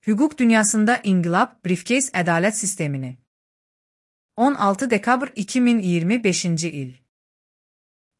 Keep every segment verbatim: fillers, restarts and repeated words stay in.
Hüquq dünyasında inqilab, briefcase ədalət sistemini. on altı dekabr iki min iyirmi beşinci il.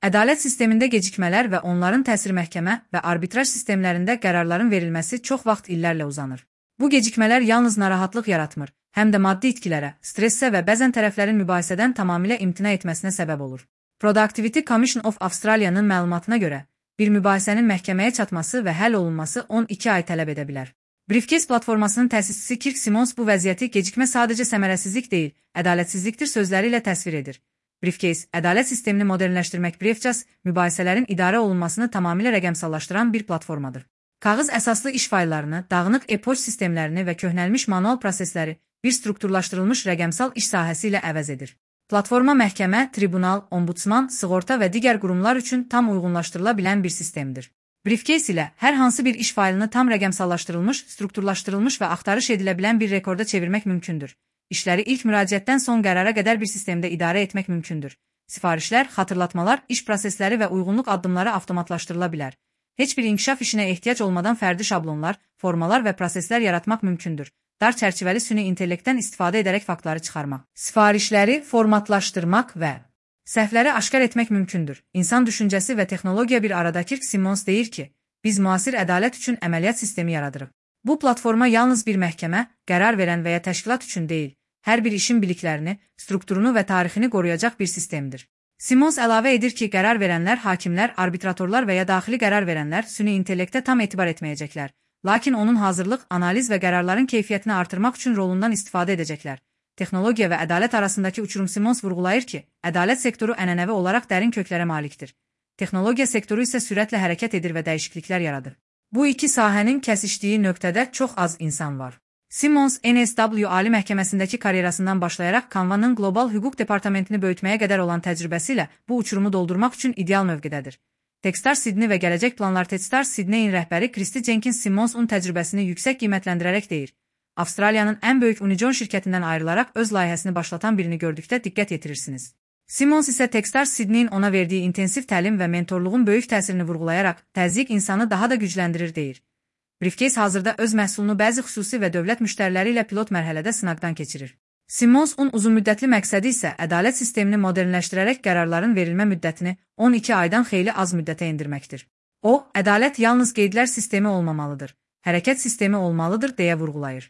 Ədalət sistemində gecikmələr və onların təsiri məhkəmə və arbitraj sistemlərində qərarların verilməsi çox vaxt illərlə uzanır. Bu gecikmələr yalnız narahatlıq yaratmır, həm də maddi itkilərə, stressə və bəzən tərəflərin mübahisədən tamamilə imtina etməsinə səbəb olur. Productivity Commission of Australia'nın məlumatına görə, bir mübahisənin məhkəməyə çatması və həll olunması on iki ay tələb edə bilər. Briefcase platformasının təsisçisi Kirk Simmons bu vəziyyəti gecikmə sadəcə səmərəsizlik deyil, ədalətsizlikdir sözləri ilə təsvir edir. Briefcase, ədalət sistemini modernləşdirmək Briefcase, mübahisələrin idarə olunmasını tamamilə rəqəmsallaşdıran bir platformadır. Kağız əsaslı iş fayllarını, dağınıq e-poçt sistemlərini və köhnəlmiş manual prosesləri bir strukturlaşdırılmış rəqəmsal iş sahəsi ilə əvəz edir. Platforma məhkəmə, tribunal, ombudsman, sığorta və digər qurumlar üçün tam uyğunlaşdırıla bilən bir sistemdir. Briefcase ilə hər hansı bir iş faylını tam rəqəmsallaşdırılmış, strukturlaşdırılmış və axtarış edilə bilən bir rekorda çevirmək mümkündür. İşləri ilk müraciətdən son qərara qədər bir sistemdə idarə etmək mümkündür. Sifarişlər, xatırlatmalar, iş prosesləri və uyğunluq addımları avtomatlaşdırıla bilər. Heç bir inkişaf işinə ehtiyac olmadan fərdi şablonlar, formalar və proseslər yaratmaq mümkündür. Dar çərçivəli süni intellektdən istifadə edərək faktları çıxarmaq, sifarişləri formatlaşdırmaq və səhvləri aşkar etmək mümkündür. İnsan düşüncəsi və texnologiya bir arada. Kirk Simmons deyir ki, biz müasir ədalət üçün əməliyyat sistemi yaradırıq. Bu platforma yalnız bir məhkəmə, qərar verən və ya təşkilat üçün deyil, hər bir işin biliklərini, strukturunu və tarixini qoruyacaq bir sistemdir. Simmons əlavə edir ki, qərar verənlər, hakimlər, arbitratorlar və ya daxili qərar verənlər süni intellektə tam etibar etməyəcəklər, lakin onun hazırlıq, analiz və qərarların keyfiyyətini artırmaq üçün rolundan istifadə edəcəklər. Texnologiya və ədalət arasındakı uçurum. Simmons vurğulayır ki, ədalət sektoru ənənəvi olaraq dərin köklərə malikdir. Texnologiya sektoru isə sürətlə hərəkət edir və dəyişikliklər yaradır. Bu iki sahənin kəsişdiyi nöqtədə çox az insan var. Simmons, N S W Ali Məhkəməsindəki karyerasından başlayaraq Canva'nın qlobal hüquq departamentini böyütməyə qədər olan təcrübəsi ilə bu uçurumu doldurmaq üçün ideal mövqedədir. Techstars Sydney və gələcək planlar. Techstars Sydney'in rəhbəri Christy Jenkins Simmons'un təcrübəsini yüksək qiymətləndirərək deyir. Avstraliyanın ən böyük Unijon şirkətindən ayrılaraq öz layihəsini başlatan birini gördükdə diqqət yetirirsiniz. Simmons isə Techstars Sydney'in ona verdiyi intensiv təlim və mentorluğun böyük təsirini vurğulayaraq, təzyiq insanı daha da gücləndirir deyir. Briefcase hazırda öz məhsulunu bəzi xüsusi və dövlət müştəriləri ilə pilot mərhələdə sınaqdan keçirir. Simmons'un uzunmüddətli məqsədi isə ədalət sistemini modernləşdirərək qərarların verilmə müddətini on iki aydan xeyli az müddətə endirməkdir. O, ədalət yalnız qeydlər sistemi olmamalıdır, hərəkət sistemi olmalıdır deyə vurğulayır.